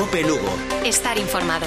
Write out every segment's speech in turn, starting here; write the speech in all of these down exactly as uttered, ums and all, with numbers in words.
COPE Lugo. Estar informado.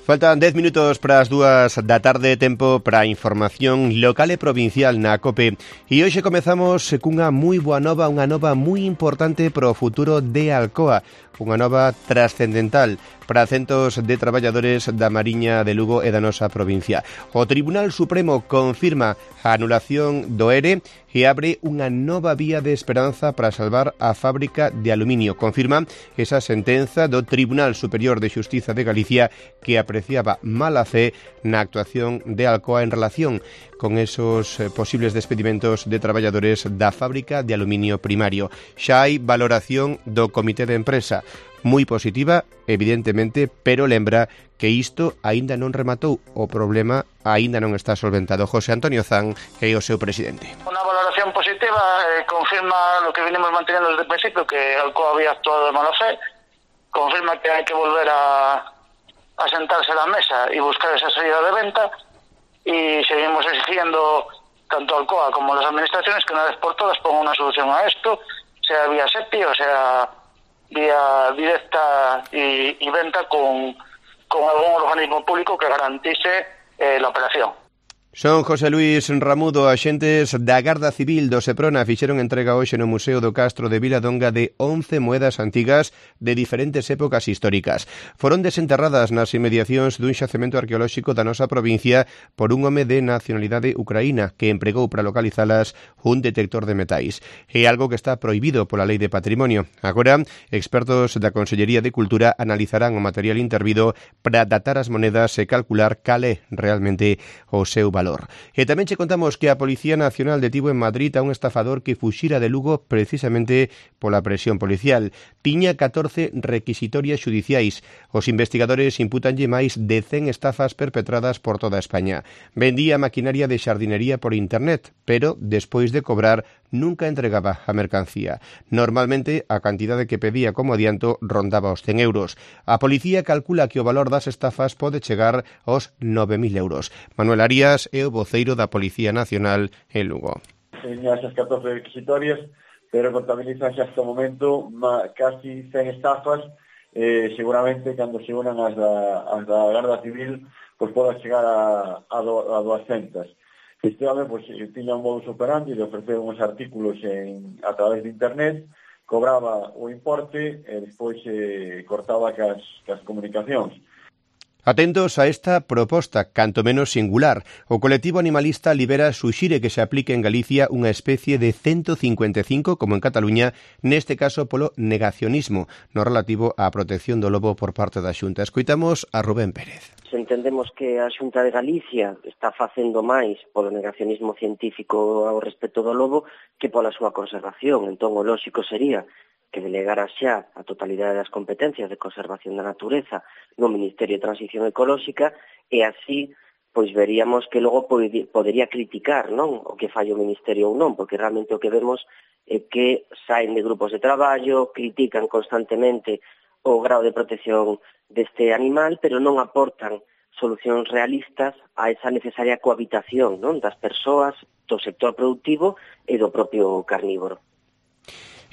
Faltan dez minutos para as dúas da tarde, tempo para a información local e provincial na COPE. E hoxe comezamos cunha moi boa nova, unha nova moi importante para o futuro de Alcoa, unha nova trascendental para centos de traballadores da Mariña de Lugo e da nosa provincia. O Tribunal Supremo confirma a anulación do E R E e abre unha nova vía de esperanza para salvar a fábrica de aluminio. Confirma esa sentenza do Tribunal Superior de Xustiza de Galicia que apreciaba mala fe na actuación de Alcoa en relación con esos posibles despedimentos de traballadores da fábrica de aluminio primario. Xa hai valoración do Comité de Empresa, moi positiva, evidentemente, pero lembra que isto aínda non rematou, o problema aínda non está solventado. José Antonio Zan é o seu presidente. Una valoración positiva eh, confirma lo que venimos manteniendo desde el principio, que Alcoa había actuado de mala fe, confirma que hay que volver a, a sentarse a la mesa y buscar esa salida de venta, y seguimos exigiendo tanto Alcoa como las administraciones que una vez por todas pongan una solución a esto, sea vía SEPI o sea vía directa y, y venta con, con algún organismo público que garantice eh, la operación. Son José Luis Ramudo, axentes da Garda Civil do Seprona fixeron entrega hoxe no Museo do Castro de Viladonga de once moedas antigas de diferentes épocas históricas. Foron desenterradas nas inmediacións dun xacemento arqueolóxico da nosa provincia por un home de nacionalidade ucraína que empregou para localizalas un detector de metais. É algo que está prohibido pola Lei de Patrimonio. Agora, expertos da Consellería de Cultura analizarán o material intervido para datar as moedas e calcular cal é realmente o seu valor. E tamén che contamos que a Policía Nacional detivo en Madrid a un estafador que fuxira de Lugo precisamente pola presión policial. Tiña catorce requisitorias xudiciais. Os investigadores imputanlle máis de cen estafas perpetradas por toda España. Vendía maquinaria de xardinería por internet, pero despois de cobrar nunca entregaba a mercancía. Normalmente a cantidade que pedía como adianto rondaba os cen euros. A policía calcula que o valor das estafas pode chegar aos nove mil euros. Manuel Arias é o voceiro da Policía Nacional en Lugo. Teña esas catorce requisitorias, pero contabilizanse hasta o momento casi cen estafas. Eh, seguramente, cando se unan as da, as da Garda Civil, pues poda chegar a, a, do, a duascentas. Este home pues, tiña un modus operandi de ofrecer uns artículos en, a través de internet, cobraba o importe e despois eh, cortaba cas, cas comunicacións. Atentos a esta proposta, canto menos singular. O colectivo animalista Libera suxire que se aplique en Galicia unha especie de ciento cincuenta e cinco, como en Cataluña, neste caso polo negacionismo, no relativo á protección do lobo por parte da Xunta. Escoitamos a Rubén Pérez. Se entendemos que a Xunta de Galicia está facendo máis polo negacionismo científico ao respecto do lobo que pola súa conservación. Entón, o lóxico sería que delegara xa a totalidade das competencias de conservación da natureza no Ministerio de Transición Ecolóxica e así pois veríamos que logo podería criticar, non, o que falla o Ministerio ou non, porque realmente o que vemos é que saen de grupos de traballo, critican constantemente o grado de protección deste animal, pero non aportan solucións realistas a esa necesaria cohabitación, non, das persoas, do sector productivo e do propio carnívoro.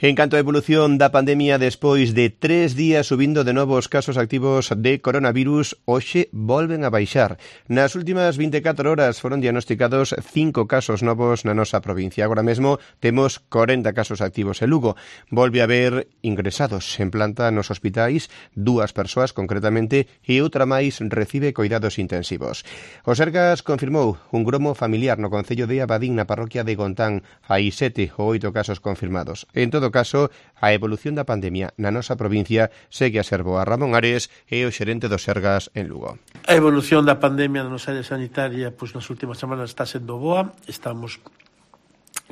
En canto á evolución da pandemia, despois de tres días subindo de novo os casos activos de coronavirus, hoxe volven a baixar. Nas últimas vinte e catro horas foron diagnosticados cinco casos novos na nosa provincia. Agora mesmo temos corenta casos activos en Lugo. Volve a haber ingresados en planta nos hospitais, dúas persoas concretamente, e outra máis recibe coidados intensivos. O Sergas confirmou un gromo familiar no concello de Abadín, na parroquia de Gontán. Hai sete ou oito casos confirmados. En todo caso, a evolución da pandemia na nosa provincia segue a ser boa. Ramón Ares é o xerente do Sergas en Lugo. A evolución da pandemia na nosa área sanitaria pois, nas últimas semanas está sendo boa. Estamos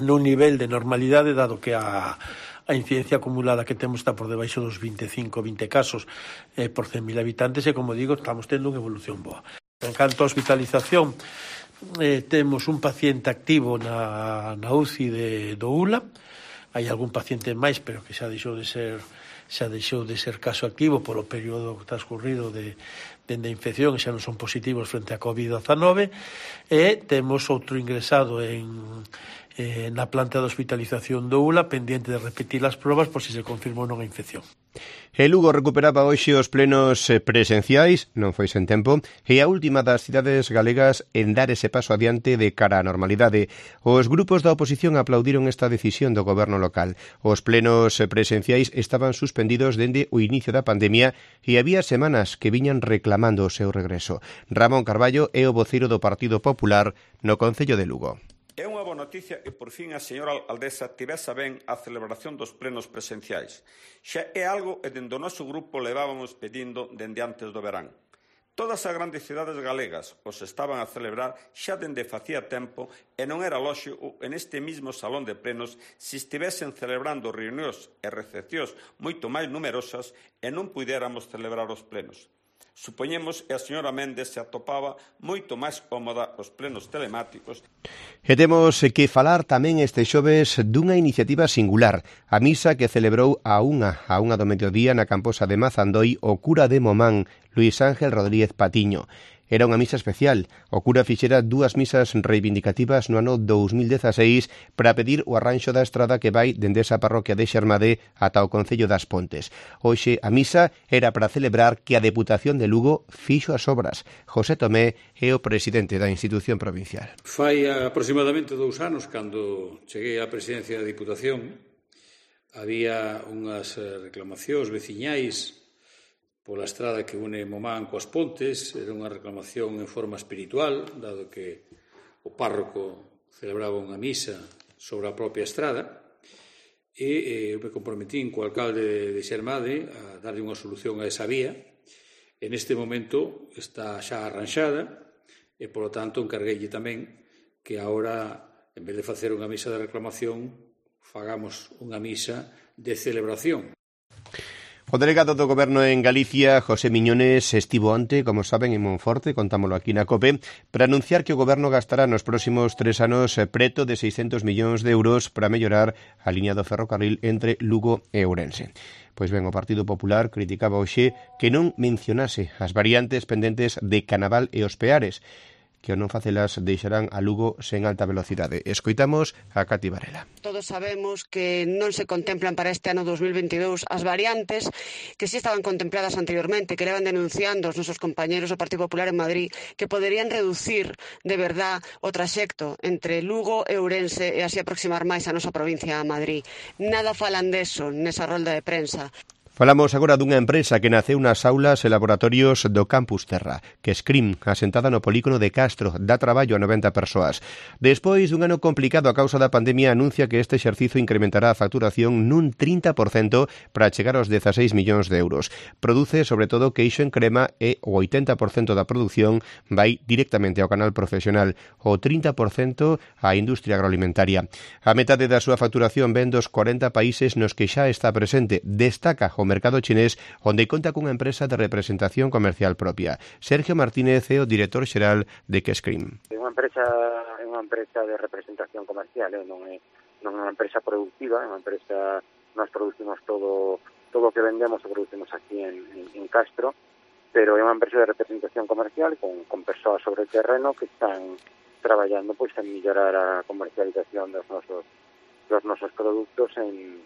nun nivel de normalidade, dado que a, a incidencia acumulada que temos está por debaixo dos veinticinco, vinte casos eh, por cen mil habitantes e, como digo, estamos tendo unha evolución boa. En canto a hospitalización, eh, temos un paciente activo na, na U C I de, do U L A. Hai algún paciente máis, pero que xa deixou de ser xa deixou de ser caso activo polo período transcurrido de, de, de infección, xa non son positivos frente a covid dezanove, e temos outro ingresado en, eh, na planta de hospitalización do U L A, pendiente de repetir as probas por si se confirma ou non a infección. E Lugo recuperaba hoxe os plenos presenciais, non foi sen tempo, e a última das cidades galegas en dar ese paso adiante de cara á normalidade. Os grupos da oposición aplaudiron esta decisión do goberno local. Os plenos presenciais estaban suspendidos dende o inicio da pandemia e había semanas que viñan reclamando o seu regreso. Ramón Carballo é o voceiro do Partido Popular no Concello de Lugo. É unha boa noticia que por fin a señora alcaldesa tivese ben a celebración dos plenos presenciais. Xa é algo que dende o noso grupo levábamos pedindo dende antes do verán. Todas as grandes cidades galegas os estaban a celebrar xa dende facía tempo e non era lóxico en este mismo salón de plenos se estivesen celebrando reunións e recepcións moito máis numerosas e non puidéramos celebrar os plenos. Supoñemos que a señora Méndez se atopaba moito máis cómoda os plenos telemáticos. E temos que falar tamén este xoves dunha iniciativa singular, a misa que celebrou a unha, a unha do mediodía na Camposa de Mazandoi o cura de Momán, Luis Ángel Rodríguez Patiño. Era unha misa especial. O cura fixera dúas misas reivindicativas no ano dous mil dezaseis para pedir o arranxo da estrada que vai dende esa parroquia de Xermadé ata o Concello das Pontes. Hoxe a misa era para celebrar que a Deputación de Lugo fixo as obras. José Tomé é o presidente da institución provincial. Fai aproximadamente dous anos, cando cheguei á presidencia da Diputación, había unhas reclamacións veciñais pola estrada que une Momán coas Pontes. Era unha reclamación en forma espiritual, dado que o párroco celebraba unha misa sobre a propia estrada, e eu me comprometín co alcalde de Xermade a darlle unha solución a esa vía. En este momento está xa arranxada e, polo tanto, encargueille tamén que agora, en vez de facer unha misa de reclamación, fagamos unha misa de celebración. O delegado do Goberno en Galicia, José Miñones, estivo onte, como saben, en Monforte, contámolo aquí na COPE, para anunciar que o Goberno gastará nos próximos tres anos preto de seiscentos millóns de euros para mellorar a liña do ferrocarril entre Lugo e Ourense. Pois ben, o Partido Popular criticaba hoxe que non mencionase as variantes pendentes de Canaval e Os Peares, que ao non facelas deixarán a Lugo sen alta velocidade. Escoitamos a Cati Varela. Todos sabemos que non se contemplan para este ano dos mil veintidós as variantes que si estaban contempladas anteriormente, que levan denunciando os nosos compañeros do Partido Popular en Madrid, que poderían reducir de verdad o traxecto entre Lugo e Ourense e así aproximar máis a nosa provincia a Madrid. Nada falan deso nesa rolda de prensa. Falamos agora dunha empresa que naceu nas aulas e laboratorios do Campus Terra, que Scrim, asentada no polígono de Castro, dá traballo a noventa persoas. Despois dun ano complicado a causa da pandemia, anuncia que este exercizo incrementará a facturación nun trinta por cento para chegar aos dezaseis millóns de euros. Produce, sobre todo, queixo en crema e o oitenta por cento da produción vai directamente ao canal profesional, o trinta por cento á industria agroalimentaria. A metade da súa facturación ven dos corenta países nos que xa está presente. Destaca o mercado chinés, onde conta cunha empresa de representación comercial propia. Sergio Martínez é o director xeral de Kescrim. É unha empresa, é unha empresa de representación comercial, eh? non é non é unha empresa productiva, é unha empresa, nós producimos todo todo o que vendemos o producimos aquí en, en, en Castro, pero é unha empresa de representación comercial con, con persoas sobre o terreno que están traballando pois en mellorar a comercialización dos nosos dos nosos produtos en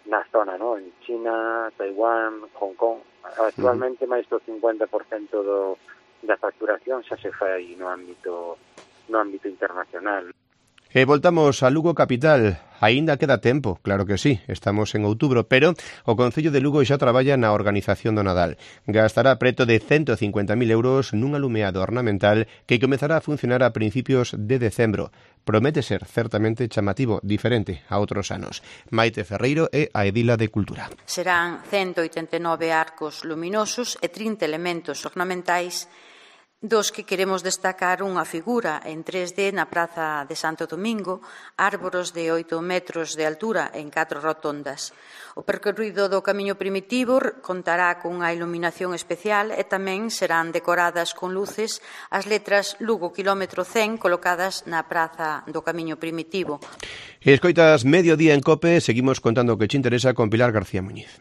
na zona, ¿no? En China, Taiwán, Hong Kong. Actualmente, uh-huh. máis do cincuenta por cento do, da facturación xa se fai no ámbito no ámbito internacional. E voltamos a Lugo capital. Aínda queda tempo, claro que sí, estamos en outubro, pero o Concello de Lugo xa traballa na organización do Nadal. Gastará preto de cento cincuenta mil euros nun alumeado ornamental que comezará a funcionar a principios de decembro. Promete ser certamente chamativo, diferente a outros anos. Maite Ferreiro é a edila de Cultura. Serán ciento oitenta e nove arcos luminosos e trinta elementos ornamentais dos que queremos destacar unha figura en tres D na Praza de Santo Domingo, árboros de oito metros de altura en catro rotondas. O percorrido do camiño primitivo contará cunha iluminación especial e tamén serán decoradas con luces as letras Lugo quilómetro cen colocadas na Praza do Camiño Primitivo. Escoitas Mediodía en COPE, seguimos contando o que che interesa con Pilar García Muñiz.